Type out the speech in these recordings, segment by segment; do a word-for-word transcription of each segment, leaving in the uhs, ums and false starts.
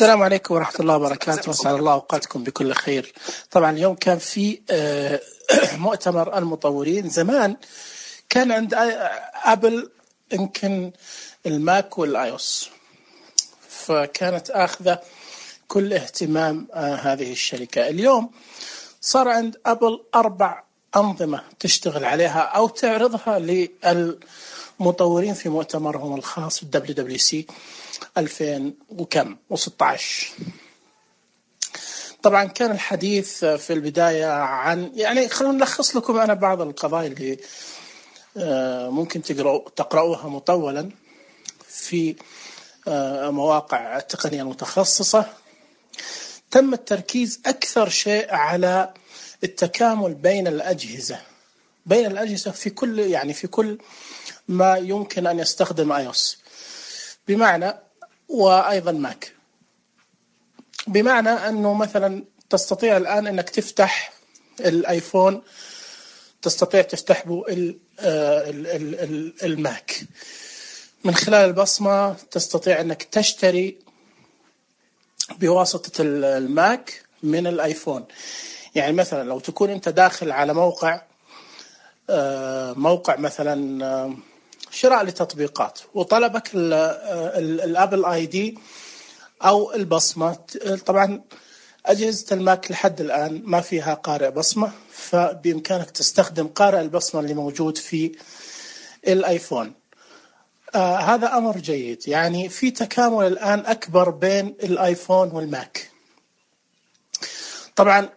السلام عليكم ورحمة الله وبركاته، وأسعد الله أوقاتكم بكل خير. طبعا اليوم كان في مؤتمر المطورين. زمان كان عند أبل يمكن الماك والآيوس، فكانت آخذة كل اهتمام هذه الشركة. اليوم صار عند أبل أربع أنظمة تشتغل عليها أو تعرضها للمطورين في مؤتمرهم الخاص دبليو دبليو سي ألفين وكم وستة عشر. طبعا كان الحديث في البداية عن يعني خلونا نلخص لكم أنا بعض القضايا اللي ممكن تقرأ تقرأوها مطولا في مواقع التقنية المتخصصة. تم التركيز أكثر شيء على التكامل بين الأجهزة بين الأجهزة في كل يعني في كل ما يمكن أن يستخدم آيوس، بمعنى وأيضا ماك، بمعنى أنه مثلا تستطيع الآن أنك تفتح الآيفون، تستطيع تفتح به الماك من خلال البصمة، تستطيع أنك تشتري بواسطة الماك من الآيفون. يعني مثلا لو تكون أنت داخل على موقع موقع مثلا شراء لتطبيقات وطلبك الابل اي دي او البصمه، طبعا اجهزه الماك لحد الان ما فيها قارئ بصمه، فبامكانك تستخدم قارئ البصمه اللي موجود في الايفون. آه هذا امر جيد، يعني في تكامل الان اكبر بين الايفون والماك. طبعا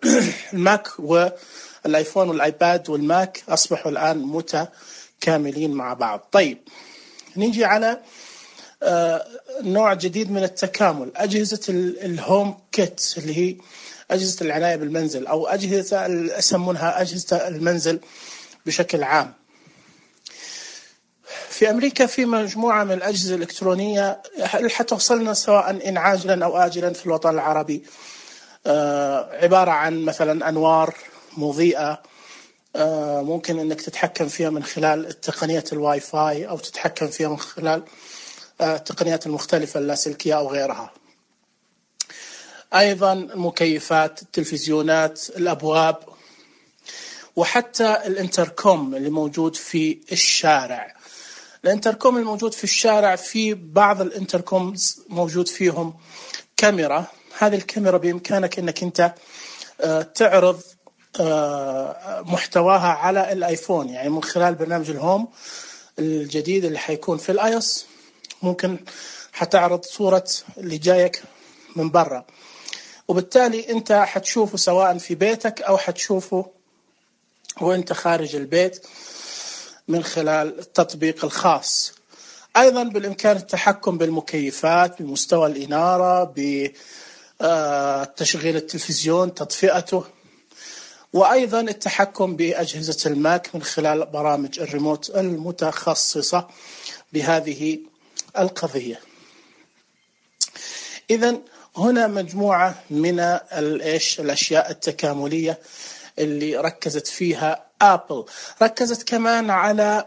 الماك والايفون والايباد والماك اصبحوا الان متكاملين مع بعض. طيب نيجي على آه نوع جديد من التكامل، أجهزة الهوم كيت اللي هي أجهزة العناية بالمنزل أو أجهزة يسمونها أجهزة المنزل بشكل عام. في أمريكا في مجموعة من الأجهزة الإلكترونية حتوصلنا سواء إن عاجلا أو آجلا في الوطن العربي، آه عبارة عن مثلا أنوار مضيئة، آه ممكن أنك تتحكم فيها من خلال تقنية الواي فاي أو تتحكم فيها من خلال التقنيات المختلفة اللاسلكية أو غيرها. أيضا المكيفات، التلفزيونات، الأبواب، وحتى الانتركوم اللي موجود في الشارع. الانتركوم الموجود في الشارع، في بعض الانتركومز موجود فيهم كاميرا. هذه الكاميرا بإمكانك أنك أنت تعرض محتواها على الآيفون، يعني من خلال برنامج الهوم الجديد اللي حيكون في الآيوس ممكن حتعرض صورة اللي جايك من برا، وبالتالي أنت حتشوفه سواء في بيتك أو حتشوفه وأنت خارج البيت من خلال التطبيق الخاص. أيضا بالإمكان التحكم بالمكيفات، بمستوى الإنارة، بتشغيل التلفزيون، تطفئته، وأيضا التحكم بأجهزة الماك من خلال برامج الريموت المتخصصة بهذه القضية. إذن هنا مجموعة من الإيش الأشياء التكاملية اللي ركزت فيها آبل. ركزت كمان على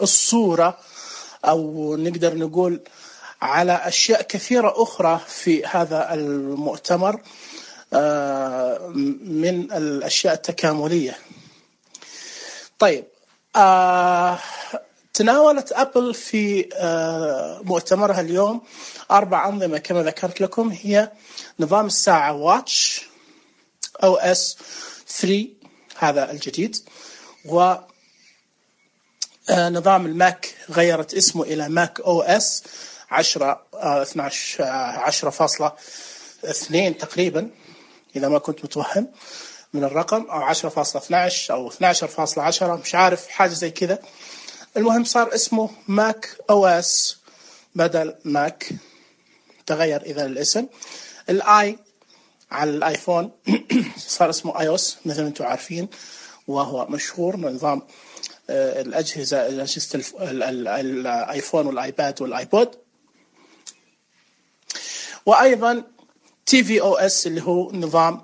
الصورة، أو نقدر نقول على أشياء كثيرة أخرى في هذا المؤتمر من الأشياء التكاملية. طيب آه تناولت أبل في آه مؤتمرها اليوم أربع أنظمة كما ذكرت لكم، هي نظام الساعة واتش أو إس ثلاثة هذا الجديد، ونظام الماك غيرت اسمه إلى ماك أو إس عشرة اثناشر عشرة فاصلة اثنين تقريبا إذا ما كنت متوهم من الرقم، أو عشرة فاصلة اثناشر أو اثناشر فاصلة عشرة، مش عارف، حاجة زي كذا. المهم صار اسمه ماك أو إس بدل ماك، تغير إذا الاسم. الآي على الآيفون صار اسمه آيوس مثل ما أنتم عارفين، وهو مشهور من نظام الأجهزة أجهزة الآيفون والآيباد والآيبود. وأيضا تي في أو إس اللي هو نظام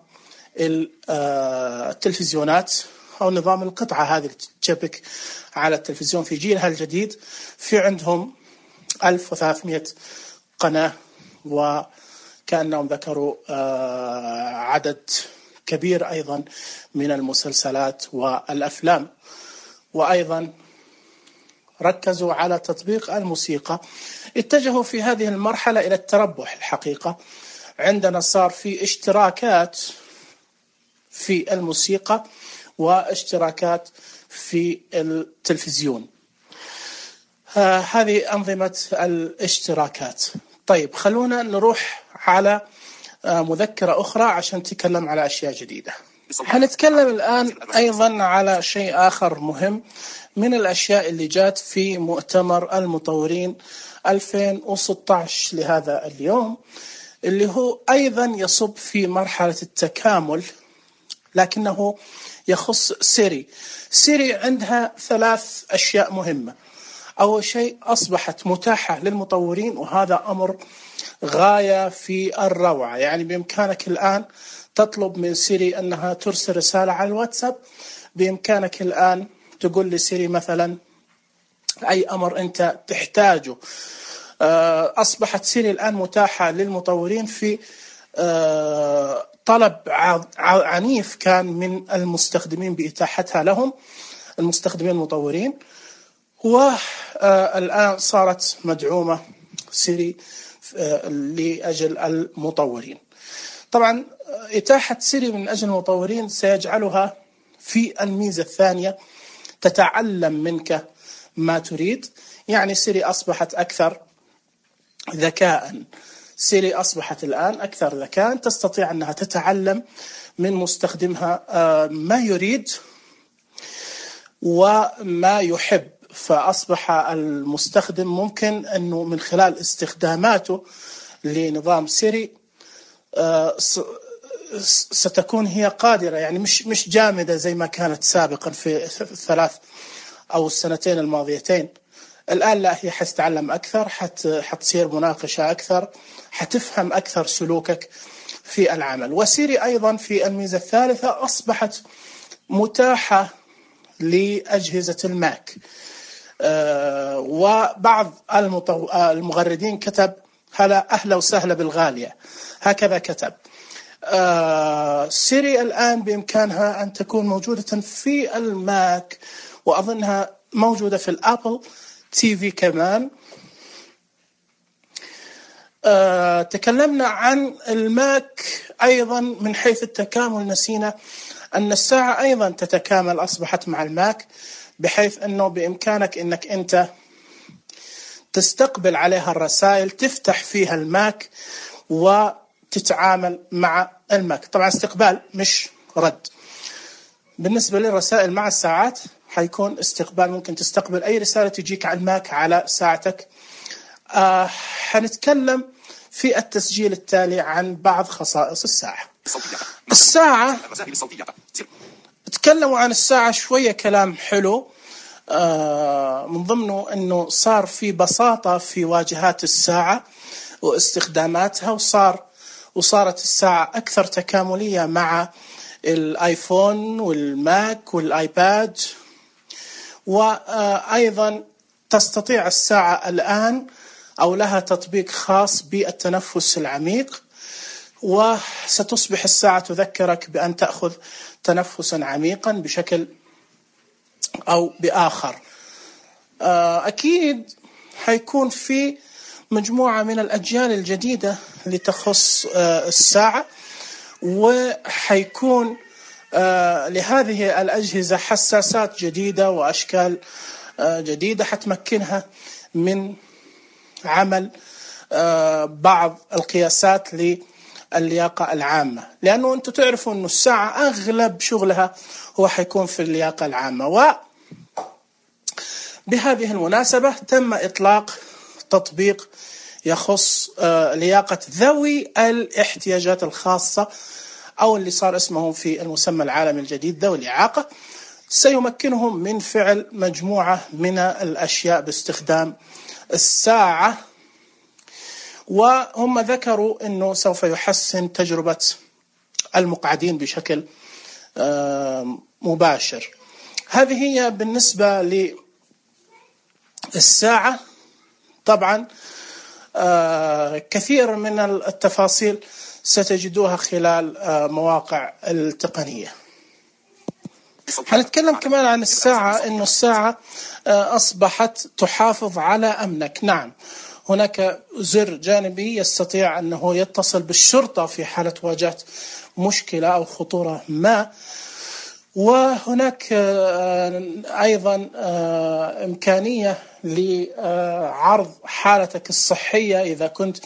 التلفزيونات أو نظام القطعة هذه اللي تشبك على التلفزيون في جيلها الجديد. في عندهم ألف وثلاثمائة قناة، وكما كأنهم ذكروا عدد كبير أيضا من المسلسلات والأفلام، وأيضا ركزوا على تطبيق الموسيقى. اتجهوا في هذه المرحلة إلى التربح الحقيقة. عندنا صار في اشتراكات في الموسيقى واشتراكات في التلفزيون. آه هذه أنظمة الاشتراكات. طيب خلونا نروح على آه مذكرة أخرى عشان نتكلم على أشياء جديدة. هنتكلم الآن أيضا على شيء آخر مهم من الأشياء اللي جات في مؤتمر المطورين ألفين وستة عشر لهذا اليوم، اللي هو أيضا يصب في مرحلة التكامل، لكنه يخص سيري. سيري عندها ثلاث أشياء مهمة. أول شيء أصبحت متاحة للمطورين، وهذا أمر غاية في الروعة. يعني بإمكانك الآن تطلب من سيري أنها ترسل رسالة على الواتساب، بإمكانك الآن تقول لسيري مثلا أي أمر أنت تحتاجه. أصبحت سيري الآن متاحة للمطورين في طلب عنيف كان من المستخدمين بإتاحتها لهم، المستخدمين المطورين، والآن صارت مدعومة سيري لأجل المطورين. طبعا إتاحة سيري من أجل المطورين سيجعلها في الميزة الثانية تتعلم منك ما تريد. يعني سيري أصبحت أكثر ذكاء. سيري أصبحت الآن أكثر ذكاء، تستطيع أنها تتعلم من مستخدمها ما يريد وما يحب. فأصبح المستخدم ممكن أنه من خلال استخداماته لنظام سيري ستكون هي قادرة، يعني مش مش جامدة زي ما كانت سابقا في الثلاث أو السنتين الماضيتين. الآن لا، هي حتتعلم أكثر، حت حتصير مناقشة أكثر، حتفهم أكثر سلوكك في العمل. وسيري أيضا في الميزة الثالثة أصبحت متاحة لأجهزة الماك. أه وبعض المطو... المغردين كتب هلا أهلا وسهلا بالغالية، هكذا كتب. أه سيري الآن بإمكانها أن تكون موجودة في الماك، وأظنها موجودة في الأبل تي في كمان. أه تكلمنا عن الماك أيضا من حيث التكامل، نسينا أن الساعة أيضا تتكامل، أصبحت مع الماك، بحيث أنه بإمكانك أنك أنت تستقبل عليها الرسائل، تفتح فيها الماك وتتعامل مع الماك. طبعا استقبال مش رد. بالنسبة للرسائل مع الساعات حيكون استقبال، ممكن تستقبل أي رسالة تجيك على الماك على ساعتك. آه حنتكلم في التسجيل التالي عن بعض خصائص الساعة. الساعة تكلموا عن الساعة شوية كلام حلو، آه من ضمنه أنه صار في بساطة في واجهات الساعة واستخداماتها، وصار وصارت الساعة أكثر تكاملية مع الآيفون والماك والآيباد. وأيضا تستطيع الساعة الآن أو لها تطبيق خاص بالتنفس العميق، وستصبح الساعة تذكرك بأن تأخذ تنفسا عميقا بشكل أو بآخر. أكيد حيكون في مجموعة من الأجيال الجديدة لتخص الساعة، وحيكون لهذه الأجهزة حساسات جديدة وأشكال جديدة حتمكنها من عمل بعض القياسات للياقة العامة، لأنه أنتم تعرفوا أن الساعة أغلب شغلها هو حيكون في اللياقة العامة. وبهذه المناسبة تم إطلاق تطبيق يخص لياقة ذوي الاحتياجات الخاصة، أو اللي صار اسمه في المسمى العالمي الجديد ذوي الإعاقة، سيمكنهم من فعل مجموعة من الأشياء باستخدام الساعة. وهم ذكروا أنه سوف يحسن تجربة المقعدين بشكل مباشر. هذه هي بالنسبة للساعة. طبعا كثير من التفاصيل ستجدوها خلال مواقع التقنية. هنتكلم كمان عن الساعة، إنه الساعة أصبحت تحافظ على أمنك. نعم، هناك زر جانبي يستطيع أنه يتصل بالشرطة في حالة واجهت مشكلة أو خطورة ما، وهناك أيضا إمكانية لعرض حالتك الصحية إذا كنت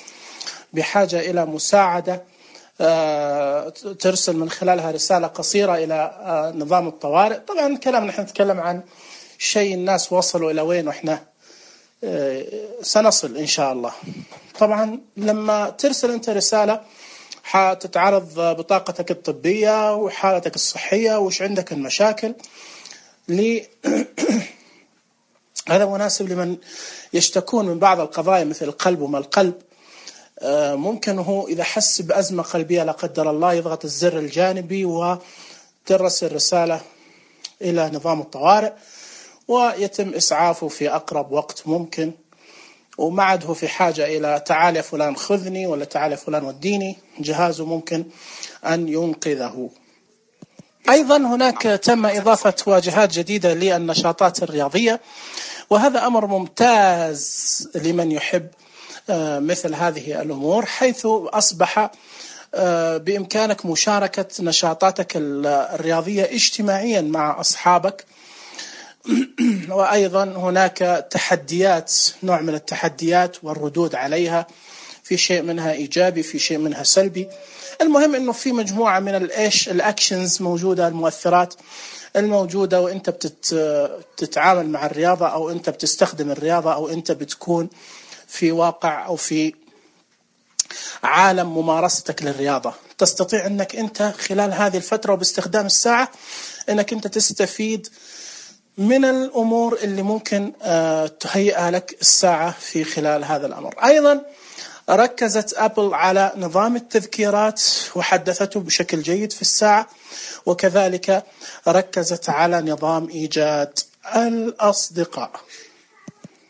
بحاجة إلى مساعدة، ترسل من خلالها رسالة قصيرة إلى نظام الطوارئ. طبعا الكلام نحن نتكلم عن شيء الناس وصلوا إلى وين وإحنا سنصل إن شاء الله. طبعا لما ترسل أنت رسالة حتتعرض بطاقتك الطبية وحالتك الصحية وش عندك المشاكل. هذا مناسب لمن يشتكون من بعض القضايا مثل القلب وما القلب. ممكن هو إذا حس بأزمة قلبية لا قدر الله يضغط الزر الجانبي وترسل رسالة إلى نظام الطوارئ ويتم إسعافه في أقرب وقت ممكن، وما عاد هو في حاجة إلى تعال يا فلان خذني ولا تعال يا فلان وديني، جهازه ممكن أن ينقذه. أيضا هناك تم إضافة واجهات جديدة للنشاطات الرياضية، وهذا أمر ممتاز لمن يحب مثل هذه الأمور، حيث أصبح بإمكانك مشاركة نشاطاتك الرياضية اجتماعيا مع أصحابك. وأيضا هناك تحديات، نوع من التحديات والردود عليها، في شيء منها إيجابي في شيء منها سلبي. المهم أنه في مجموعة من الإيش الأكشنز موجودة، المؤثرات الموجودة وإنت بتتعامل مع الرياضة أو إنت بتستخدم الرياضة أو إنت بتكون في واقع أو في عالم ممارستك للرياضة. تستطيع أنك أنت خلال هذه الفترة وباستخدام الساعة أنك أنت تستفيد من الأمور اللي ممكن تهيئها لك الساعة في خلال هذا الأمر. أيضا ركزت أبل على نظام التذكيرات وحدثته بشكل جيد في الساعة، وكذلك ركزت على نظام إيجاد الأصدقاء.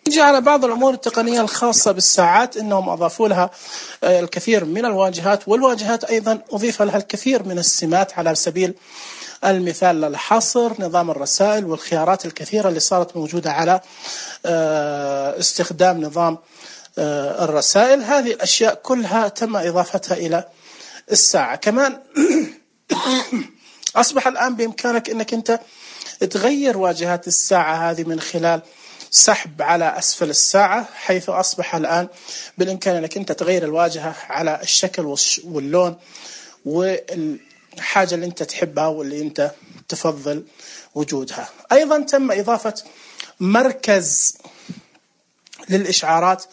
نجي على بعض الأمور التقنية الخاصة بالساعات، إنهم أضافوا لها الكثير من الواجهات، والواجهات أيضا أضيف لها الكثير من السمات. على سبيل المثال للحصر، نظام الرسائل والخيارات الكثيرة اللي صارت موجودة على استخدام نظام الرسائل. هذه الأشياء كلها تم إضافتها إلى الساعة. كمان أصبح الآن بإمكانك أنك أنت تغير واجهات الساعة هذه من خلال سحب على أسفل الساعة، حيث أصبح الآن بالإمكان أنك أنت تغير الواجهة على الشكل واللون والحاجة اللي أنت تحبها واللي أنت تفضل وجودها. أيضا تم إضافة مركز للإشعارات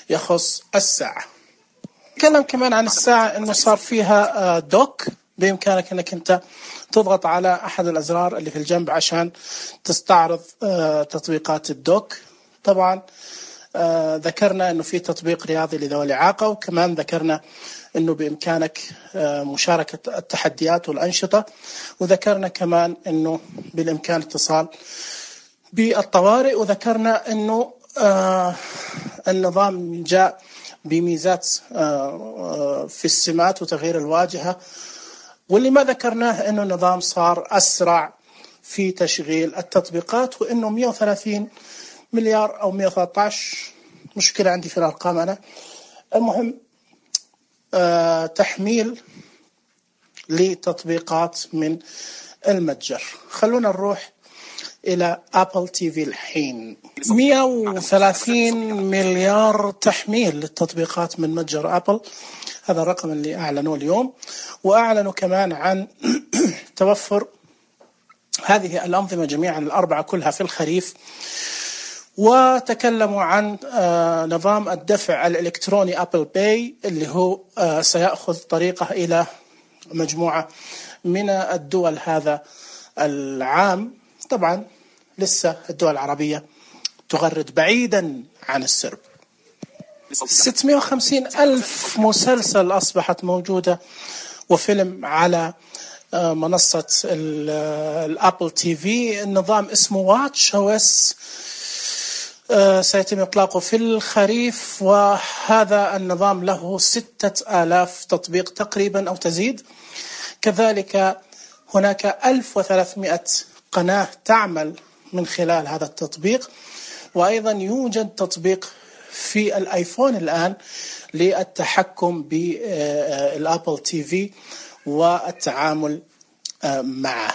يخص الساعة. نتكلم كمان عن الساعة أنه صار فيها دوك، بإمكانك أنك أنت تضغط على أحد الأزرار اللي في الجنب عشان تستعرض تطبيقات الدوك. طبعا ذكرنا أنه في تطبيق رياضي لذوي الإعاقة، وكمان ذكرنا أنه بإمكانك مشاركة التحديات والأنشطة، وذكرنا كمان أنه بالإمكان اتصال بالطوارئ، وذكرنا أنه آه النظام جاء بميزات آه في السمات وتغيير الواجهة. واللي ما ذكرناه أنه النظام صار أسرع في تشغيل التطبيقات، وأنه مئة وثلاثين مليار أو مئة وثلاثة عشر، مشكلة عندي في الأرقام أنا، المهم آه تحميل لتطبيقات من المتجر. خلونا نروح إلى أبل تي في الحين. مئة وثلاثين مليار تحميل للتطبيقات من متجر أبل، هذا الرقم اللي أعلنوه اليوم. وأعلنوا كمان عن توفر هذه الأنظمة جميعا الأربعة كلها في الخريف، وتكلموا عن نظام الدفع الإلكتروني أبل باي اللي هو سيأخذ طريقه إلى مجموعة من الدول هذا العام. طبعا لسه الدول العربية تغرد بعيدا عن السرب. ستمئة وخمسين ألف مسلسل أصبحت موجودة وفيلم على منصة الأبل تي في. النظام اسمه واتش أو اس. سيتم إطلاقه في الخريف، وهذا النظام له ستة آلاف تطبيق تقريبا أو تزيد. كذلك هناك ألف وثلاثمائة قناة تعمل من خلال هذا التطبيق، وأيضا يوجد تطبيق في الآيفون الآن للتحكم بالآبل تي في والتعامل معه.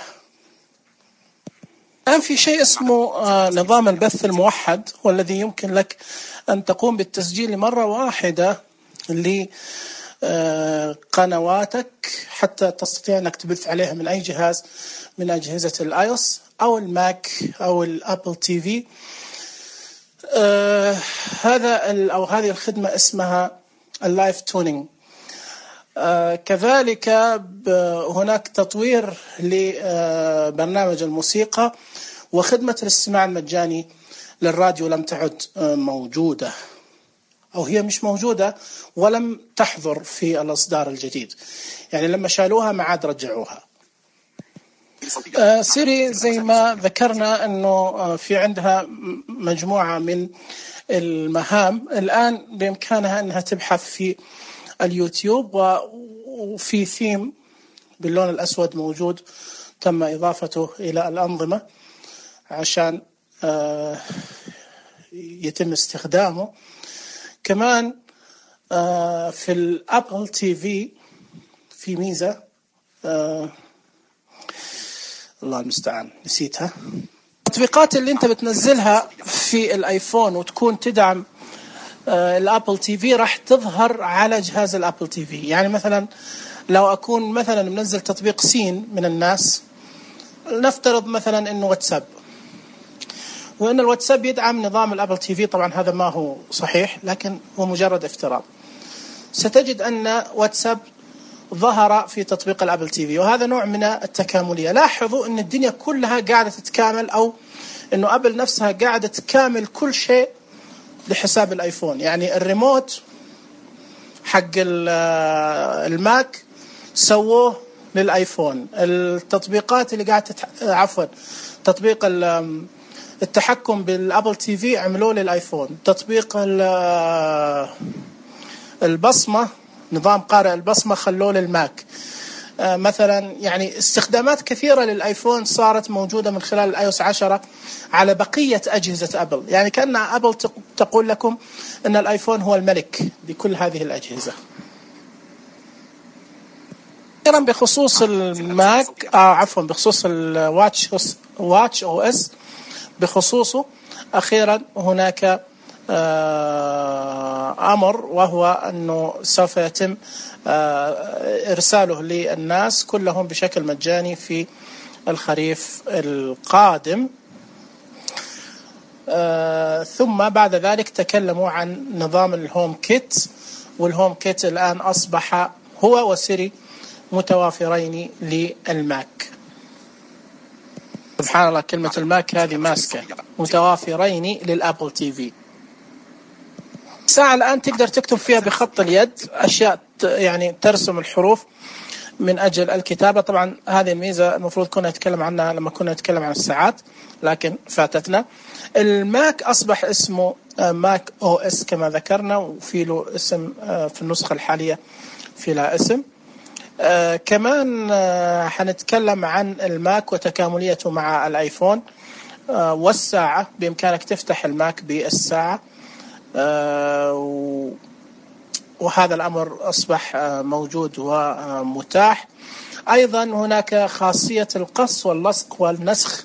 الآن في شيء اسمه نظام البث الموحد، والذي يمكن لك أن تقوم بالتسجيل لمرة واحدة لقنواتك حتى تستطيع أنك تبث عليها من أي جهاز من أجهزة الآيوس أو الماك أو الأبل تي في. آه هذا أو هذه الخدمة اسمها اللايف تونينج. آه كذلك هناك تطوير لبرنامج الموسيقى، وخدمة الاستماع المجاني للراديو لم تعد موجودة، أو هي مش موجودة ولم تحضر في الإصدار الجديد، يعني لما شالوها ما عاد رجعوها. آه سيري زي ما ذكرنا أنه في عندها مجموعة من المهام، الآن بإمكانها أنها تبحث في اليوتيوب، وفي ثيم باللون الأسود موجود تم إضافته إلى الأنظمة عشان آه يتم استخدامه. كمان آه في الأبل تي في في ميزة آه الله المستعان نسيتها. التطبيقات اللي انت بتنزلها في الايفون وتكون تدعم آه الابل تي في راح تظهر على جهاز الابل تي في. يعني مثلا لو اكون مثلا منزل تطبيق سين من الناس، نفترض مثلا انه واتساب، وان الواتساب يدعم نظام الابل تي في، طبعا هذا ما هو صحيح لكن هو مجرد افتراض، ستجد ان واتساب ظهر في تطبيق الابل تي في، وهذا نوع من التكاملية. لاحظوا ان الدنيا كلها قاعدة تتكامل، او انه ابل نفسها قاعدة تكامل كل شيء لحساب الايفون. يعني الريموت حق الماك سووه للايفون، التطبيقات اللي قاعدة تتح... عفوا تطبيق التحكم بالابل تي في عملوه للايفون، تطبيق البصمة نظام قارئ البصمة خلوه للماك. آه مثلا يعني استخدامات كثيرة للآيفون صارت موجودة من خلال الآيوس عشرة على بقية أجهزة أبل. يعني كأن أبل تقول لكم أن الآيفون هو الملك لكل هذه الأجهزة. أخيرا بخصوص الماك آه عفوا بخصوص الواتش واتش أو إس بخصوصه، أخيرا هناك أمر، وهو أنه سوف يتم إرساله للناس كلهم بشكل مجاني في الخريف القادم. ثم بعد ذلك تكلموا عن نظام الهوم كيت، والهوم كيت الآن أصبح هو وسيري متوافرين للماك. سبحان الله، كلمة الماك هذه ماسكة. متوافرين للأبل تي في. ساعة الآن تقدر تكتب فيها بخط اليد أشياء يعني ترسم الحروف من أجل الكتابة. طبعا هذه الميزة المفروض كنا نتكلم عنها لما كنا نتكلم عن الساعات لكن فاتتنا. الماك أصبح اسمه ماك أو إس كما ذكرنا، وفي له اسم في النسخة الحالية في له اسم. آه كمان آه حنتكلم عن الماك وتكامليته مع الآيفون آه والساعة. بإمكانك تفتح الماك بالساعة، آه وهذا الأمر أصبح آه موجود ومتاح. أيضا هناك خاصية القص واللصق والنسخ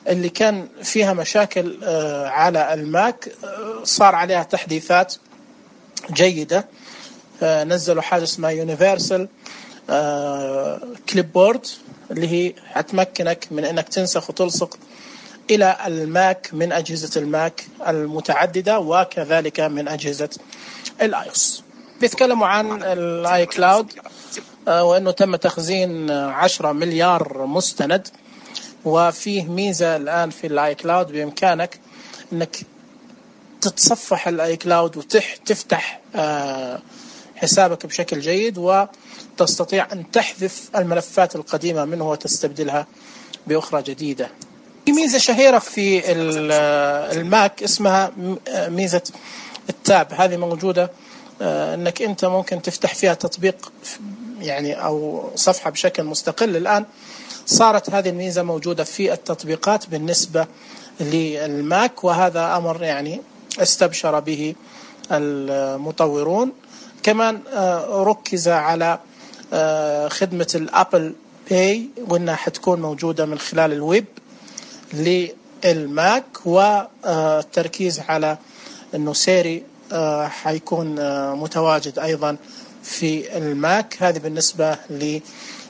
اللي كان فيها مشاكل آه على الماك، آه صار عليها تحديثات جيدة. آه نزلوا حاجة اسمها يونيفرسال آه كليب بورد، اللي هي هتمكنك من انك تنسخ وتلصق الى الماك من اجهزة الماك المتعددة وكذلك من اجهزة الايوس. بيتكلموا عن الاي كلاود آه وانه تم تخزين عشرة مليار مستند، وفيه ميزة الان في الاي كلاود بامكانك انك تتصفح الاي كلاود وتفتح آه حسابك بشكل جيد، وتستطيع أن تحذف الملفات القديمة منه وتستبدلها بأخرى جديدة. في ميزة شهيرة في الماك اسمها ميزة التاب. هذه موجودة انك انت ممكن تفتح فيها تطبيق يعني او صفحة بشكل مستقل. الآن صارت هذه الميزة موجودة في التطبيقات بالنسبة للماك، وهذا أمر يعني استبشر به المطورون. كمان ركز على خدمة الأبل باي، وإنها حتكون موجودة من خلال الويب للماك، والتركيز على إنه سيري حيكون متواجد أيضا في الماك. هذه بالنسبة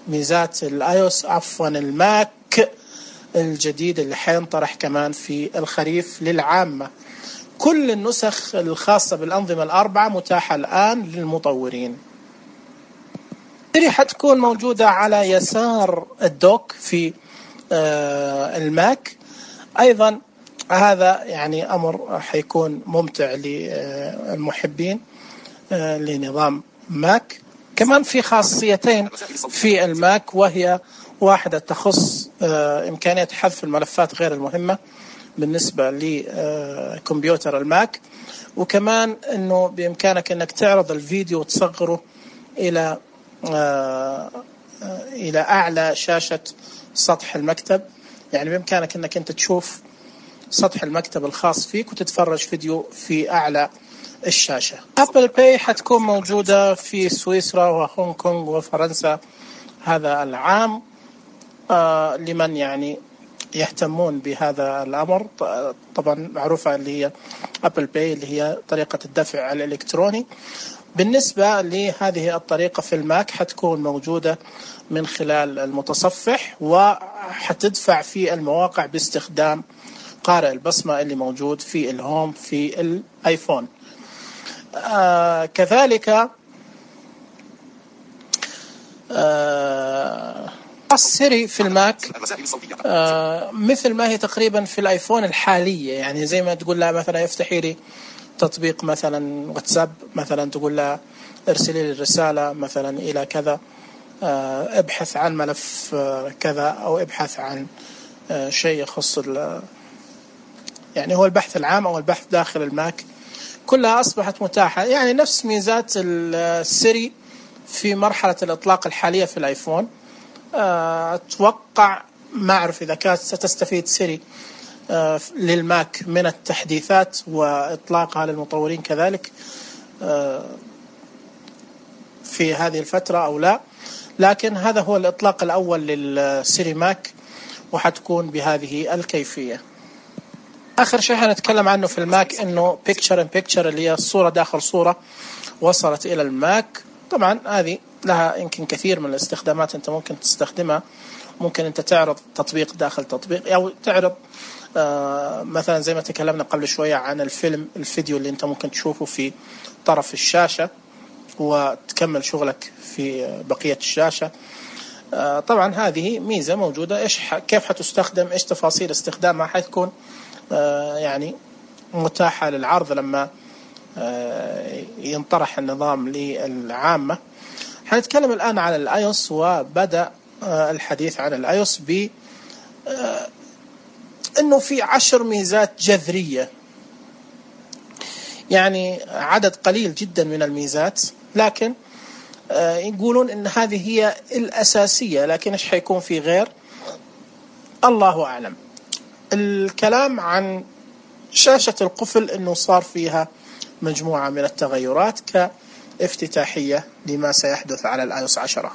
لميزات الآيوس عفوا الماك الجديد اللي حينطرح كمان في الخريف للعامة. كل النسخ الخاصة بالأنظمة الأربعة متاحة الآن للمطورين. سيري حتكون موجودة على يسار الدوك في الماك أيضا. هذا يعني أمر حيكون ممتع للمحبين لنظام ماك. كمان في خاصيتين في الماك، وهي واحدة تخص إمكانية حذف الملفات غير المهمة بالنسبة لكمبيوتر الماك، وكمان أنه بإمكانك أنك تعرض الفيديو وتصغره إلى إلى أعلى شاشة سطح المكتب. يعني بإمكانك أنك أنت تشوف سطح المكتب الخاص فيك وتتفرج فيديو في أعلى الشاشة. أبل باي حتكون موجودة في سويسرا وهونغ كونغ وفرنسا هذا العام آه لمن يعني يهتمون بهذا الأمر. طبعا معروفة اللي هي أبل باي اللي هي طريقة الدفع الإلكتروني. بالنسبة لهذه الطريقة في الماك حتكون موجودة من خلال المتصفح، وحتدفع في المواقع باستخدام قارئ البصمة اللي موجود في الهوم في الآيفون. آه كذلك آه سيري في الماك آه مثل ما هي تقريبا في الآيفون الحالية. يعني زي ما تقول لها مثلا افتحي لي تطبيق مثلا واتساب، مثلا تقول لها ارسلي لي الرسالة مثلا إلى كذا، آه ابحث عن ملف آه كذا، أو ابحث عن آه شيء يخص يعني هو البحث العام أو البحث داخل الماك، كلها أصبحت متاحة. يعني نفس ميزات السيري في مرحلة الإطلاق الحالية في الآيفون. أتوقع ما أعرف إذا كانت ستستفيد سيري للماك من التحديثات وإطلاقها للمطورين كذلك في هذه الفترة أو لا، لكن هذا هو الإطلاق الأول للسيري ماك، وحتكون بهذه الكيفية. آخر شيء هنتكلم عنه في الماك إنه picture in picture اللي هي الصورة داخل صورة وصلت إلى الماك. طبعا هذه لها يمكن كثير من الاستخدامات أنت ممكن تستخدمها. ممكن أنت تعرض تطبيق داخل تطبيق، أو تعرض آه مثلا زي ما تكلمنا قبل شوية عن الفيلم الفيديو اللي أنت ممكن تشوفه في طرف الشاشة وتكمل شغلك في بقية الشاشة. آه طبعا هذه ميزة موجودة. إيش كيف حتستخدم، إيش تفاصيل استخدامها، حتكون آه يعني متاحة للعرض لما آه ينطرح النظام للعامة. حنتكلم الآن عن الآيوس، وبدأ آه الحديث عن الآيوس ب آه إنه في عشر ميزات جذرية، يعني عدد قليل جدا من الميزات، لكن آه يقولون إن هذه هي الأساسية، لكن إيش حيكون في غير الله أعلم. الكلام عن شاشة القفل إنه صار فيها مجموعة من التغيرات كافتتاحية لما سيحدث على الآيوس عشرة.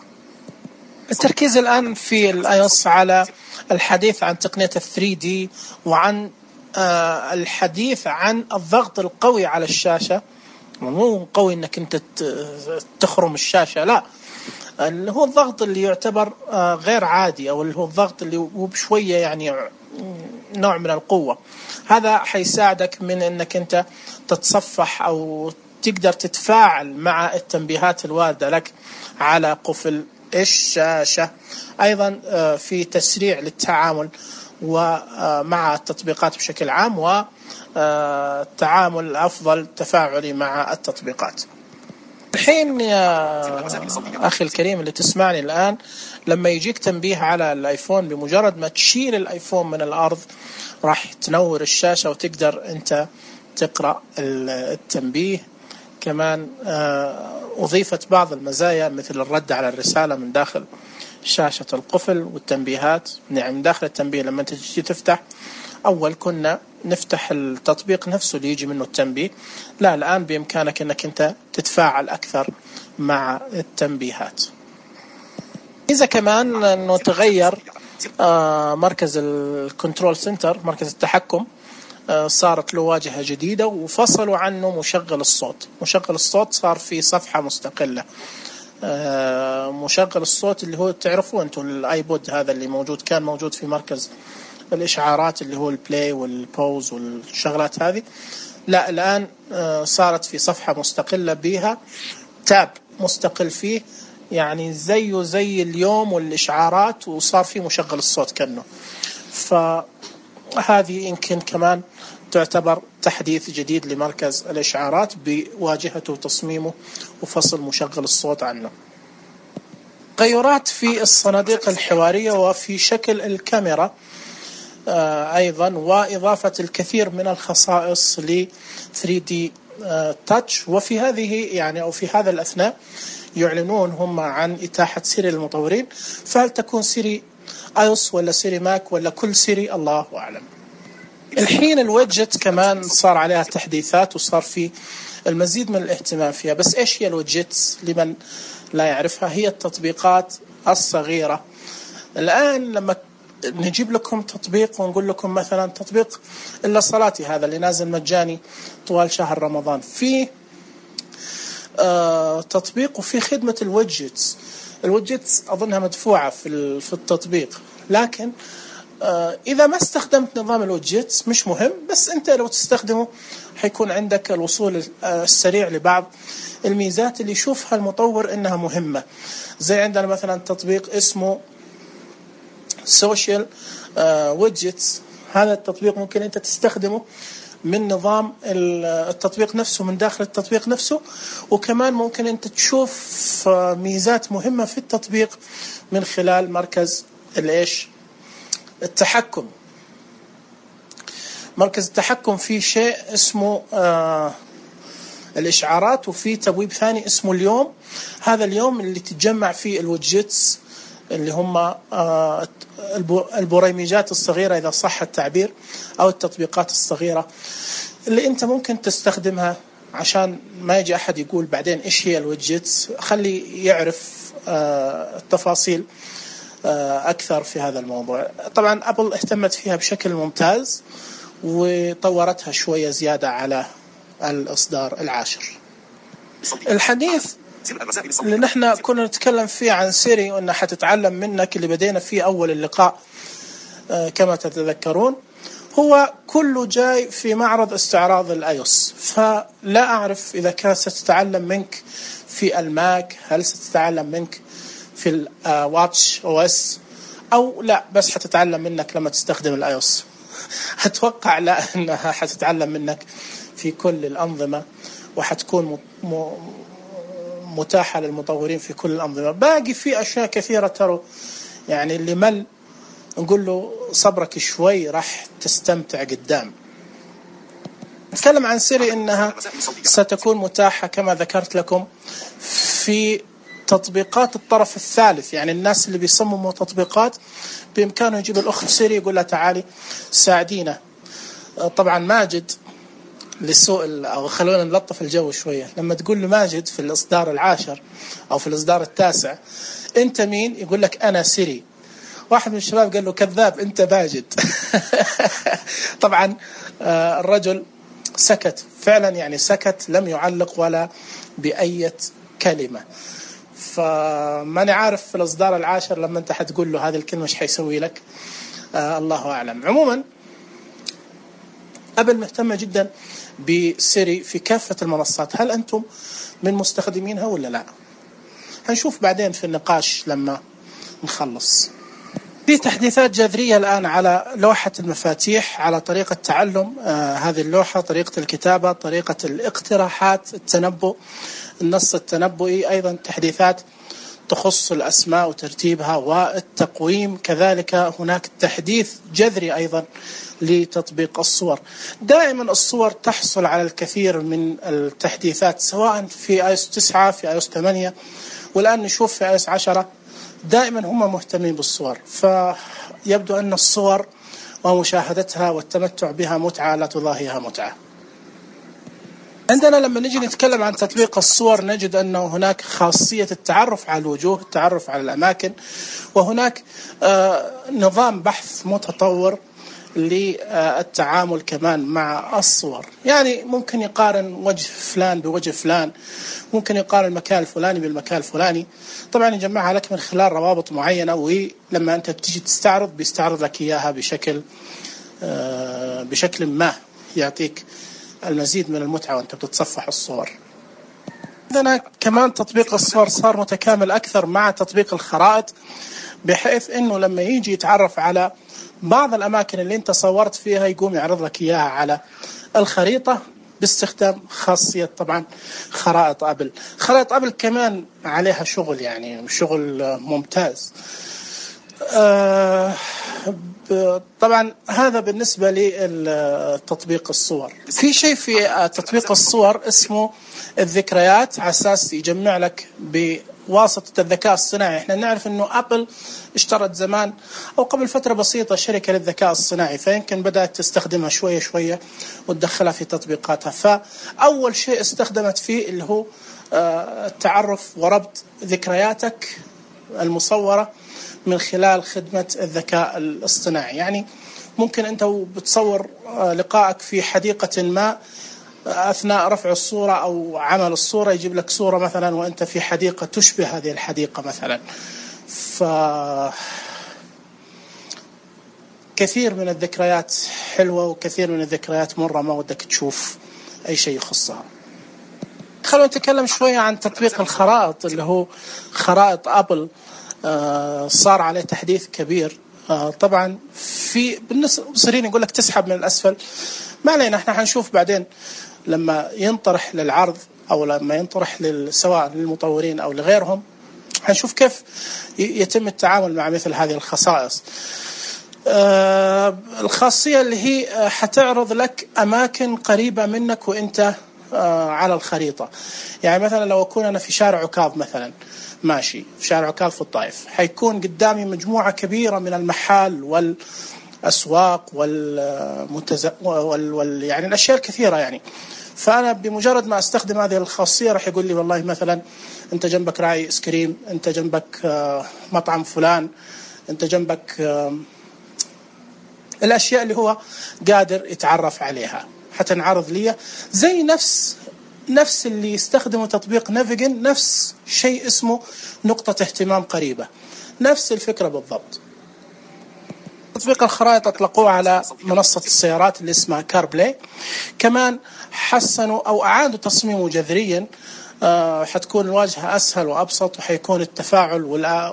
التركيز الآن في الآيوس على الحديث عن تقنية الثري دي، وعن آه الحديث عن الضغط القوي على الشاشة. مو قوي إنك أنت تخرم الشاشة، لا، اللي هو الضغط اللي يعتبر آه غير عادي، أو اللي هو الضغط اللي هو بشوية يعني نوع من القوة. هذا حيساعدك من أنك أنت تتصفح أو تقدر تتفاعل مع التنبيهات الواردة لك على قفل الشاشة. أيضا في تسريع للتعامل ومع التطبيقات بشكل عام، والتعامل أفضل تفاعلي مع التطبيقات. الحين يا أخي الكريم اللي تسمعني الآن، لما يجيك تنبيه على الآيفون، بمجرد ما تشيل الآيفون من الأرض راح تنور الشاشة وتقدر أنت تقرأ التنبيه. كمان أضيفت بعض المزايا مثل الرد على الرسالة من داخل شاشة القفل، والتنبيهات يعني من داخل التنبيه. لما تجي تفتح، أول كنا نفتح التطبيق نفسه اللي يجي منه التنبيه، لا الآن بإمكانك أنك أنت تتفاعل أكثر مع التنبيهات. إذا كمان أنه تغير مركز الكنترول سنتر، مركز التحكم، صارت له واجهة جديدة وفصلوا عنه مشغل الصوت. مشغل الصوت صار في صفحة مستقلة. مشغل الصوت اللي هو تعرفوه أنتم الآيبود هذا اللي موجود، كان موجود في مركز الإشعارات اللي هو البلاي والبوز والشغلات هذه، لا الآن صارت في صفحة مستقلة بها تاب مستقل فيه، يعني زيه زي اليوم والإشعارات، وصار في مشغل الصوت كأنه. فهذه يمكن كمان تعتبر تحديث جديد لمركز الإشعارات بواجهته وتصميمه وفصل مشغل الصوت عنه. تغيرات في الصناديق الحوارية وفي شكل الكاميرا أيضا، وإضافة الكثير من الخصائص ل ثري دي Touch. وفي هذه يعني أو في هذا الأثناء يعلنون هم عن إتاحة سيري للمطورين، فهل تكون سيري آيوس ولا سيري ماك ولا كل سيري الله أعلم. الحين الويدجت كمان صار عليها تحديثات وصار في المزيد من الاهتمام فيها. بس إيش هي الويدجتس لمن لا يعرفها؟ هي التطبيقات الصغيرة. الآن لما نجيب لكم تطبيق ونقول لكم مثلا تطبيق إلا صلاتي هذا اللي نازل مجاني طوال شهر رمضان، في آه تطبيق وفي خدمة الويدجتس. الويدجتس أظنها مدفوعة في في التطبيق، لكن آه إذا ما استخدمت نظام الويدجتس مش مهم، بس أنت لو تستخدمه حيكون عندك الوصول السريع لبعض الميزات اللي يشوفها المطور إنها مهمة. زي عندنا مثلا تطبيق اسمه سوشيال ويدجتس. هذا التطبيق ممكن أنت تستخدمه من نظام التطبيق نفسه، من داخل التطبيق نفسه، وكمان ممكن أنت تشوف ميزات مهمة في التطبيق من خلال مركز الإيش التحكم. مركز التحكم فيه شيء اسمه آه الإشعارات، وفي تبويب ثاني اسمه اليوم. هذا اليوم اللي تتجمع فيه الويدجتس اللي هم البريمجات الصغيرة إذا صح التعبير، أو التطبيقات الصغيرة اللي أنت ممكن تستخدمها. عشان ما يجي أحد يقول بعدين إيش هي الويدجتس، خلي يعرف التفاصيل أكثر في هذا الموضوع. طبعا أبل اهتمت فيها بشكل ممتاز وطورتها شوية زيادة على الإصدار العاشر. الحديث اللي نحن كنا نتكلم فيه عن سيري وأنها حتتعلم منك، اللي بدينا فيه أول اللقاء كما تتذكرون، هو كله جاي في معرض استعراض الآيوس. فلا أعرف إذا كانت ستتعلم منك في الماك، هل ستتعلم منك في الواتش أو اس، أو لا بس حتتعلم منك لما تستخدم الآيوس. أتوقع لا، أنها حتتعلم منك في كل الأنظمة، وحتكون م... متاحة للمطورين في كل الأنظمة. باقي في أشياء كثيرة ترى يعني اللي مل نقول له صبرك شوي راح تستمتع قدام. نتكلم عن سيري إنها ستكون متاحة كما ذكرت لكم في تطبيقات الطرف الثالث، يعني الناس اللي بيصمموا تطبيقات بإمكانه يجيب الأخت سيري يقول لها تعالي ساعدينا. طبعا ماجد للسوء، أو خلونا نلطف الجو شوية، لما تقول له ماجد في الإصدار العاشر أو في الإصدار التاسع أنت مين؟ يقول لك أنا سيري. واحد من الشباب قال له كذاب أنت ماجد. طبعا الرجل سكت فعلا، يعني سكت لم يعلق ولا بأي كلمة. فماني عارف في الإصدار العاشر لما أنت حتقول له هذه الكلمة إيش حيسوي لك، آه الله أعلم. عموما أبل مهتمة جدا بسيري في كافة المنصات. هل أنتم من مستخدمينها ولا لا؟ هنشوف بعدين في النقاش لما نخلص. في تحديثات جذرية الآن على لوحة المفاتيح، على طريقة تعلم آه هذه اللوحة، طريقة الكتابة، طريقة الاقتراحات، التنبؤ، النص التنبؤي، أيضا تحديثات تخص الأسماء وترتيبها والتقويم. كذلك هناك تحديث جذري أيضا لتطبيق الصور. دائما الصور تحصل على الكثير من التحديثات، سواء في آيوس تسعة، في آيوس ثمانية، والآن نشوف في آيوس عشرة. دائما هم مهتمين بالصور، فيبدو أن الصور ومشاهدتها والتمتع بها متعة لا تضاهيها متعة. عندنا لما نجي نتكلم عن تطبيق الصور نجد أنه هناك خاصية التعرف على الوجوه، التعرف على الأماكن، وهناك آه نظام بحث متطور للتعامل كمان مع الصور. يعني ممكن يقارن وجه فلان بوجه فلان، ممكن يقارن المكان الفلاني بالمكان الفلاني، طبعا يجمعها لك من خلال روابط معينة، ولما أنت بتيجي تستعرض بيستعرض لك إياها بشكل آه بشكل ما يعطيك المزيد من المتعة وأنت بتتصفح الصور. عندنا كمان تطبيق الصور صار متكامل أكثر مع تطبيق الخرائط، بحيث أنه لما يجي يتعرف على بعض الأماكن اللي أنت صورت فيها يقوم يعرض لك إياها على الخريطة باستخدام خاصية طبعا خرائط أبل. خرائط أبل كمان عليها شغل، يعني شغل ممتاز. آه طبعا هذا بالنسبة لتطبيق الصور. في شيء في تطبيق الصور اسمه الذكريات، على أساس يجمع لك بواسطة الذكاء الصناعي. احنا نعرف انه ابل اشترت زمان او قبل فترة بسيطة شركة للذكاء الصناعي، فيمكن بدأت تستخدمها شوية شوية وتدخلها في تطبيقاتها. فأول شيء استخدمت فيه اللي هو التعرف وربط ذكرياتك المصورة من خلال خدمة الذكاء الاصطناعي. يعني ممكن أنت بتصور لقائك في حديقة ما، أثناء رفع الصورة أو عمل الصورة يجيب لك صورة مثلا وأنت في حديقة تشبه هذه الحديقة مثلا. ف كثير من الذكريات حلوة وكثير من الذكريات مرة ما ودك تشوف أي شيء يخصها. خلونا نتكلم شوية عن تطبيق الخرائط اللي هو خرائط أبل. آه صار عليه تحديث كبير. آه طبعا في بالنسبة مصرين يقول لك تسحب من الأسفل، ما علينا، احنا حنشوف بعدين لما ينطرح للعرض أو لما ينطرح سواء للمطورين أو لغيرهم، حنشوف كيف يتم التعامل مع مثل هذه الخصائص. آه الخاصية اللي هي حتعرض لك أماكن قريبة منك وإنت آه على الخريطة. يعني مثلا لو أكون أنا في شارع عكاظ مثلا ماشي في شارع عكاظ في الطائف، حيكون قدامي مجموعة كبيرة من المحال والأسواق والمتز... وال... وال... يعني الأشياء الكثيرة يعني. فأنا بمجرد ما أستخدم هذه الخاصية راح يقول لي والله مثلا أنت جنبك راعي إيس كريم، أنت جنبك آه مطعم فلان، أنت جنبك آه الأشياء اللي هو قادر يتعرف عليها. حتنعرض لي زي نفس نفس اللي يستخدموا تطبيق نافيجن، نفس شيء اسمه نقطة اهتمام قريبة، نفس الفكرة بالضبط. تطبيق الخرائط أطلقوه على منصة السيارات اللي اسمها كار بلاي. كمان حسنوا أو أعادوا تصميمه جذريا. آه حتكون الواجهة أسهل وأبسط، وحيكون التفاعل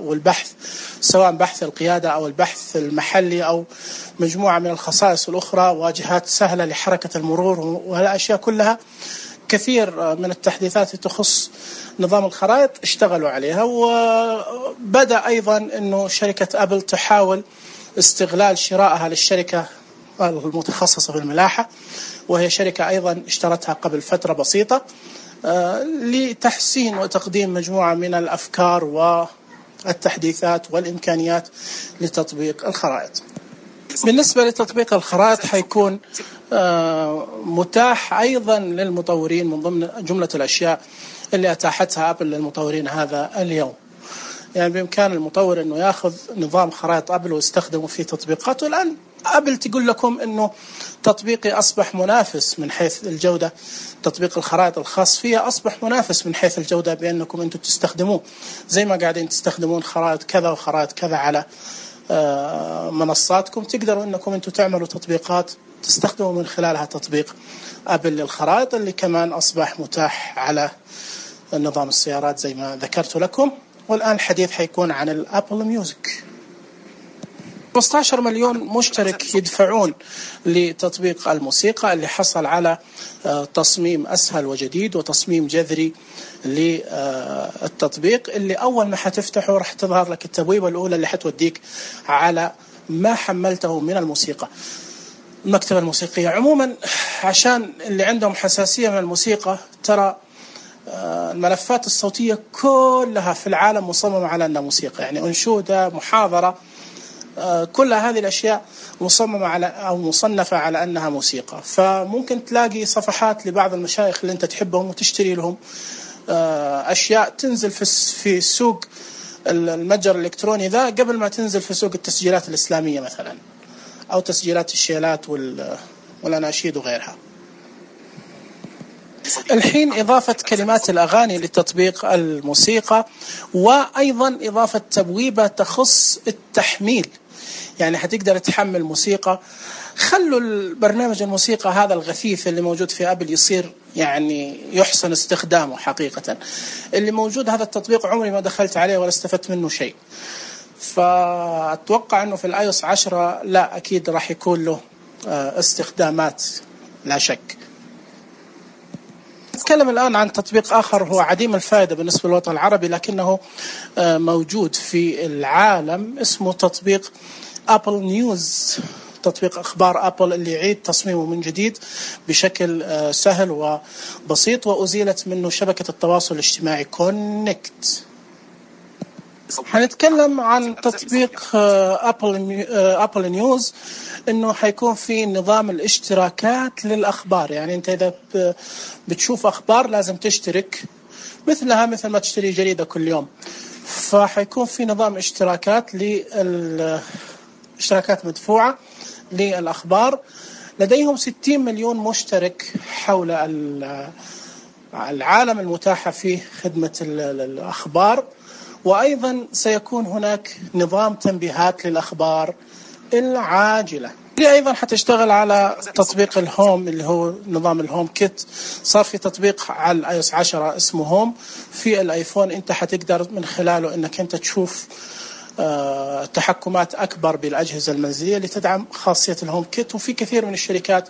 والبحث سواء بحث القيادة أو البحث المحلي أو مجموعة من الخصائص الأخرى، واجهات سهلة لحركة المرور والأشياء كلها. كثير من التحديثات تخص نظام الخرائط اشتغلوا عليها. وبدأ أيضا أنه شركة أبل تحاول استغلال شرائها للشركة المتخصصة في الملاحة، وهي شركة أيضا اشترتها قبل فترة بسيطة، لتحسين وتقديم مجموعة من الأفكار والتحديثات والإمكانيات لتطبيق الخرائط. بالنسبة لتطبيق الخرائط حيكون متاح أيضا للمطورين من ضمن جملة الأشياء اللي أتاحتها أبل للمطورين هذا اليوم. يعني بإمكان المطور أنه يأخذ نظام خرائط أبل ويستخدمه في تطبيقاته. الآن أبل تقول لكم أنه تطبيقي أصبح منافس من حيث الجودة، تطبيق الخرائط الخاص فيها أصبح منافس من حيث الجودة بأنكم أنتم تستخدموه زي ما قاعدين تستخدمون خرائط كذا وخرائط كذا على منصاتكم. تقدروا أنكم أنتم تعملوا تطبيقات تستخدموا من خلالها تطبيق أبل للخرائط اللي كمان أصبح متاح على نظام السيارات زي ما ذكرت لكم. والآن الحديث حيكون عن الأبل ميوزك. خمسة عشر مليون مشترك يدفعون لتطبيق الموسيقى اللي حصل على تصميم أسهل وجديد وتصميم جذري للتطبيق، اللي أول ما حتفتحه راح تظهر لك التبويبة الأولى اللي حتوديك على ما حملته من الموسيقى، المكتبة الموسيقية. عموما عشان اللي عندهم حساسية من الموسيقى، ترى الملفات الصوتية كلها في العالم مصممة على أنها موسيقى، يعني أنشودة، محاضرة، كل هذه الأشياء مصممة على أو مصنفة على أنها موسيقى. فممكن تلاقي صفحات لبعض المشايخ اللي أنت تحبهم وتشتري لهم أشياء تنزل في السوق المتجر الإلكتروني ذا قبل ما تنزل في سوق التسجيلات الإسلامية مثلا، أو تسجيلات الشيلات والأناشيد وغيرها. الحين إضافة كلمات الأغاني لتطبيق الموسيقى، وأيضا إضافة تبويبة تخص التحميل، يعني هتقدر تحمل موسيقى. خلوا البرنامج الموسيقى هذا الغثيث اللي موجود في أبل يصير يعني يحسن استخدامه حقيقة. اللي موجود هذا التطبيق عمري ما دخلت عليه ولا استفدت منه شيء، فأتوقع أنه في الآيوس عشرة لا أكيد راح يكون له استخدامات لا شك. نتكلم الآن عن تطبيق آخر هو عديم الفائدة بالنسبة للوطن العربي لكنه موجود في العالم، اسمه تطبيق أبل نيوز، تطبيق أخبار أبل اللي يعيد تصميمه من جديد بشكل سهل وبسيط، وأزيلت منه شبكة التواصل الاجتماعي كونكت. هنتكلم عن تطبيق أبل أبل نيوز، إنه حيكون في نظام الاشتراكات للأخبار، يعني أنت إذا بتشوف أخبار لازم تشترك مثلها مثل ما تشتري جريدة كل يوم. فحيكون في نظام اشتراكات للاشتراكات مدفوعة للأخبار. لديهم ستين مليون مشترك حول العالم المتاحة في خدمة الأخبار، وأيضا سيكون هناك نظام تنبيهات للأخبار العاجلة. اللي أيضا حتشتغل على تطبيق الهوم اللي هو نظام الهوم كيت. صار في تطبيق على الايوس عشرة اسمه هوم في الايفون، انت حتقدر من خلاله انك انت تشوف آه تحكمات أكبر بالأجهزة المنزلية لتدعم خاصية الهوم كيت. وفي كثير من الشركات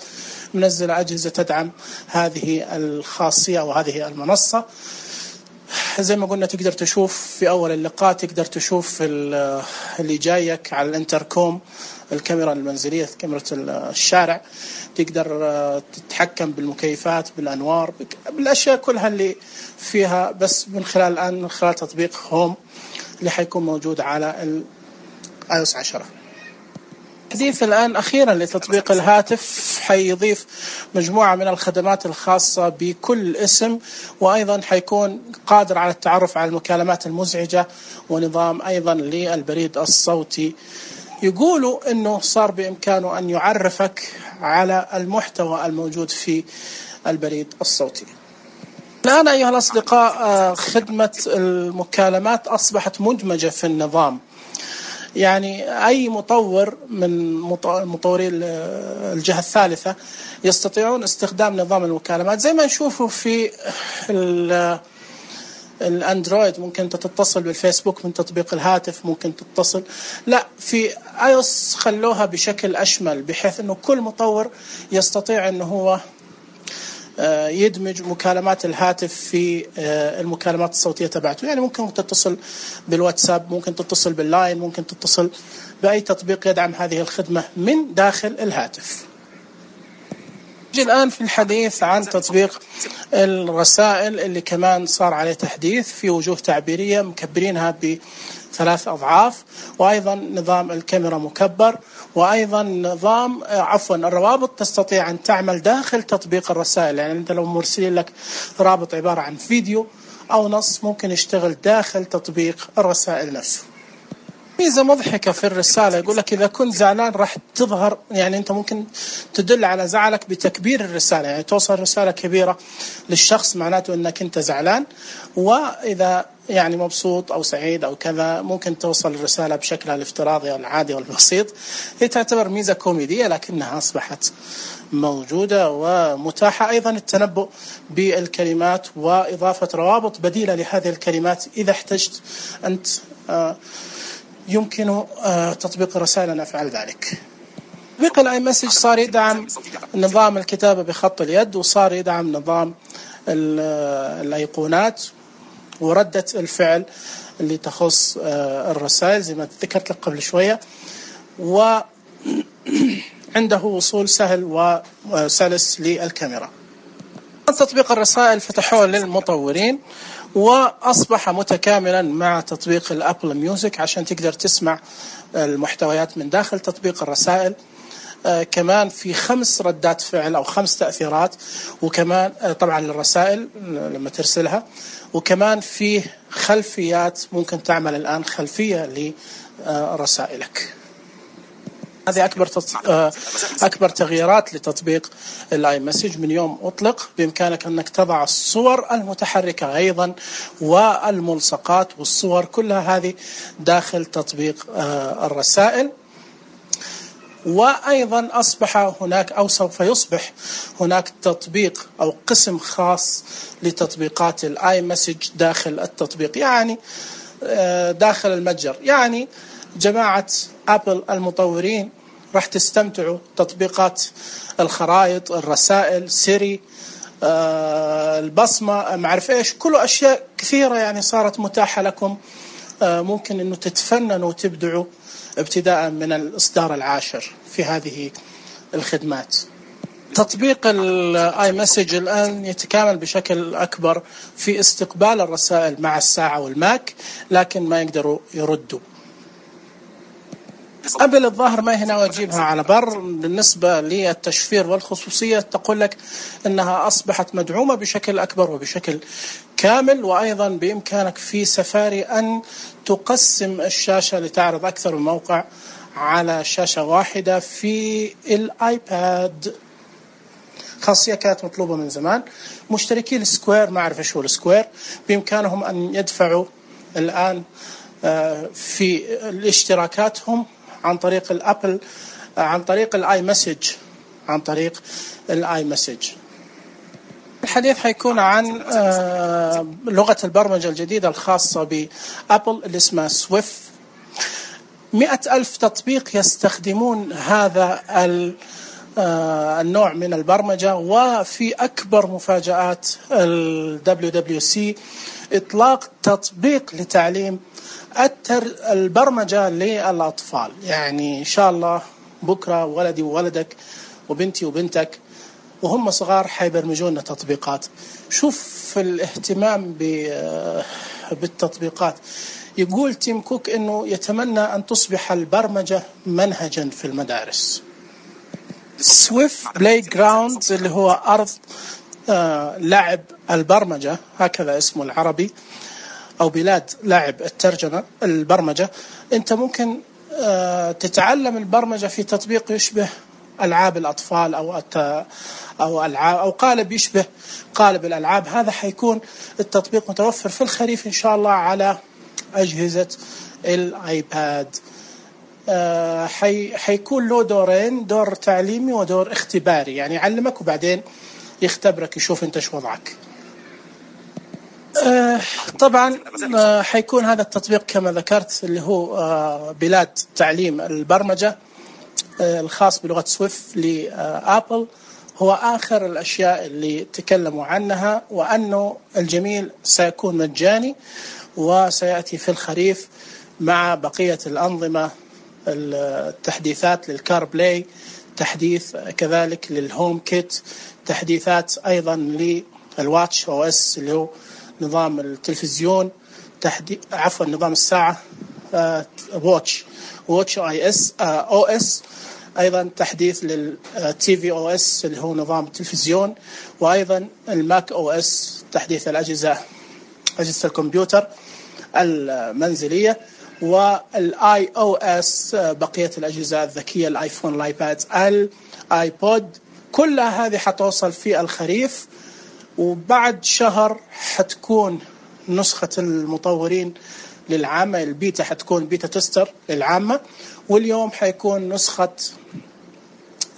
منزلة أجهزة تدعم هذه الخاصية وهذه المنصة. زي ما قلنا تقدر تشوف في أول اللقاء، تقدر تشوف اللي جايك على الانتركوم، الكاميرا المنزلية، كاميرا الشارع، تقدر تتحكم بالمكيفات، بالأنوار، بالأشياء كلها اللي فيها، بس من خلال الآن من خلال تطبيق هوم اللي حيكون موجود على الايوس عشرة. حديث الآن أخيرا لتطبيق الهاتف حيضيف مجموعة من الخدمات الخاصة بكل اسم، وأيضا حيكون قادر على التعرف على المكالمات المزعجة، ونظام أيضا للبريد الصوتي. يقولوا أنه صار بإمكانه أن يعرفك على المحتوى الموجود في البريد الصوتي. الآن أيها الأصدقاء خدمة المكالمات أصبحت مدمجة في النظام، يعني أي مطور من مطوري الجهة الثالثة يستطيعون استخدام نظام المكالمات زي ما نشوفه في الأندرويد. ممكن تتصل بالفيسبوك من تطبيق الهاتف، ممكن تتصل، لا في آيوس خلوها بشكل أشمل بحيث أنه كل مطور يستطيع أنه هو يدمج مكالمات الهاتف في المكالمات الصوتية تبعته. يعني ممكن تتصل بالواتساب، ممكن تتصل باللاين، ممكن تتصل بأي تطبيق يدعم هذه الخدمة من داخل الهاتف. نجي الآن في الحديث عن تطبيق الرسائل اللي كمان صار عليه تحديث في وجوه تعبيرية مكبرينها بثلاث أضعاف، وأيضا نظام الكاميرا مكبر، وأيضا نظام عفوا الروابط تستطيع أن تعمل داخل تطبيق الرسائل. يعني أنت لو مرسلين لك رابط عبارة عن فيديو أو نص ممكن يشتغل داخل تطبيق الرسائل نفسه. ميزة مضحكة في الرسالة، يقول لك إذا كنت زعلان راح تظهر، يعني أنت ممكن تدل على زعلك بتكبير الرسالة، يعني توصل رسالة كبيرة للشخص معناته أنك أنت زعلان، وإذا يعني مبسوط أو سعيد أو كذا ممكن توصل الرسالة بشكلها الافتراضي أو العادي والبسيط. هي تعتبر ميزة كوميدية لكنها أصبحت موجودة ومتاحة. أيضا التنبؤ بالكلمات وإضافة روابط بديلة لهذه الكلمات إذا احتجت أنت آه يمكن تطبيق الرسائل أن أفعل ذلك. تطبيق الاي مسج صار يدعم نظام الكتابة بخط اليد، وصار يدعم نظام الأيقونات وردة الفعل اللي تخص الرسائل زي ما ذكرت لك قبل شوية، وعنده وصول سهل وسلس للكاميرا. تطبيق الرسائل فتحوه للمطورين وأصبح متكاملا مع تطبيق الأبل ميوزك عشان تقدر تسمع المحتويات من داخل تطبيق الرسائل. آه كمان في خمس ردات فعل أو خمس تأثيرات، وكمان آه طبعا للرسائل لما ترسلها، وكمان فيه خلفيات ممكن تعمل الآن خلفية لرسائلك. هذه أكبر أكبر تغييرات لتطبيق الاي مسج من يوم أطلق. بإمكانك أنك تضع الصور المتحركة أيضا والملصقات والصور كلها هذه داخل تطبيق الرسائل. وأيضا أصبح هناك أو سوف يصبح هناك تطبيق أو قسم خاص لتطبيقات الاي مسج داخل التطبيق، يعني داخل المتجر. يعني جماعة أبل المطورين راح تستمتعوا تطبيقات الخرائط، الرسائل، سيري، آه البصمة، معرف إيش، كل أشياء كثيرة يعني صارت متاحة لكم. آه ممكن أنه تتفننوا وتبدعوا ابتداء من الإصدار العاشر في هذه الخدمات. تطبيق الاي مسج الآن يتكامل بشكل أكبر في استقبال الرسائل مع الساعة والماك، لكن ما يقدروا يردوا. قبل الظاهر ما هنا وأجيبها على بر. بالنسبة للتشفير والخصوصية تقول لك أنها أصبحت مدعومة بشكل أكبر وبشكل كامل، وأيضا بإمكانك في سفاري أن تقسم الشاشة لتعرض أكثر من موقع على شاشة واحدة في الآيباد. خاصية كانت مطلوبة من زمان. مشتركي السكوير، ما أعرف إيش هو السكوير، بإمكانهم أن يدفعوا الآن في الاشتراكاتهم عن طريق الأبل، عن طريق الاي مسج، عن طريق الاي مسج. الحديث حيكون عن لغة البرمجة الجديدة الخاصة بأبل اللي اسمها سويفت. مئة ألف تطبيق يستخدمون هذا النوع من البرمجة. وفي أكبر مفاجآت ال دبليو دبليو سي إطلاق تطبيق لتعليم البرمجة للأطفال. يعني إن شاء الله بكرة ولدي وولدك وبنتي وبنتك وهم صغار حيبرمجون تطبيقات. شوف الاهتمام بالتطبيقات. يقول تيم كوك أنه يتمنى أن تصبح البرمجة منهجا في المدارس. سويفت بلاي جراوند اللي هو أرض آه لعب البرمجة، هكذا اسمه العربي، أو بلاد لعب الترجمة البرمجة. أنت ممكن آه تتعلم البرمجة في تطبيق يشبه ألعاب الأطفال أو أو ألعاب أو قالب يشبه قالب الألعاب. هذا حيكون التطبيق متوفر في الخريف إن شاء الله على أجهزة الآيباد. آه حي حيكون له دورين، دور تعليمي ودور اختباري، يعني يعلمك وبعدين يختبرك يشوف أنت شو وضعك. آه طبعا آه حيكون هذا التطبيق كما ذكرت اللي هو آه بلاد تعليم البرمجة آه الخاص بلغة سويفت لآبل. هو آخر الأشياء اللي تكلموا عنها، وأنه الجميل سيكون مجاني وسيأتي في الخريف مع بقية الأنظمة، التحديثات للكار بلاي، تحديث كذلك للهوم كيت، تحديثات أيضا للواتش أو اس اللي هو نظام التلفزيون، تحديث عفوا نظام الساعة واتش واتش اي اس او اس، أيضا تحديث للتي في او اس اللي هو نظام التلفزيون، وأيضا الماك او اس تحديث الأجهزة أجهزة الكمبيوتر المنزلية، والاي او اس بقية الأجهزة الذكية، الايفون، الايباد، الايبود. كل هذه حتوصل في الخريف، وبعد شهر حتكون نسخة المطورين للعامة البيتا حتكون بيتا تستر للعامة، واليوم حيكون نسخة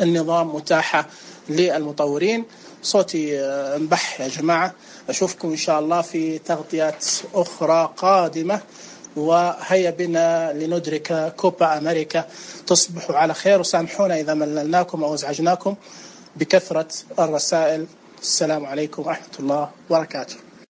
النظام متاحة للمطورين. صوتي انبح يا جماعة. أشوفكم إن شاء الله في تغطيات أخرى قادمة، وهيا بنا لندرك كوبا أمريكا. تصبحوا على خير، وسامحونا إذا مللناكم أو ازعجناكم بكثرة الرسائل. السلام عليكم ورحمة الله وبركاته.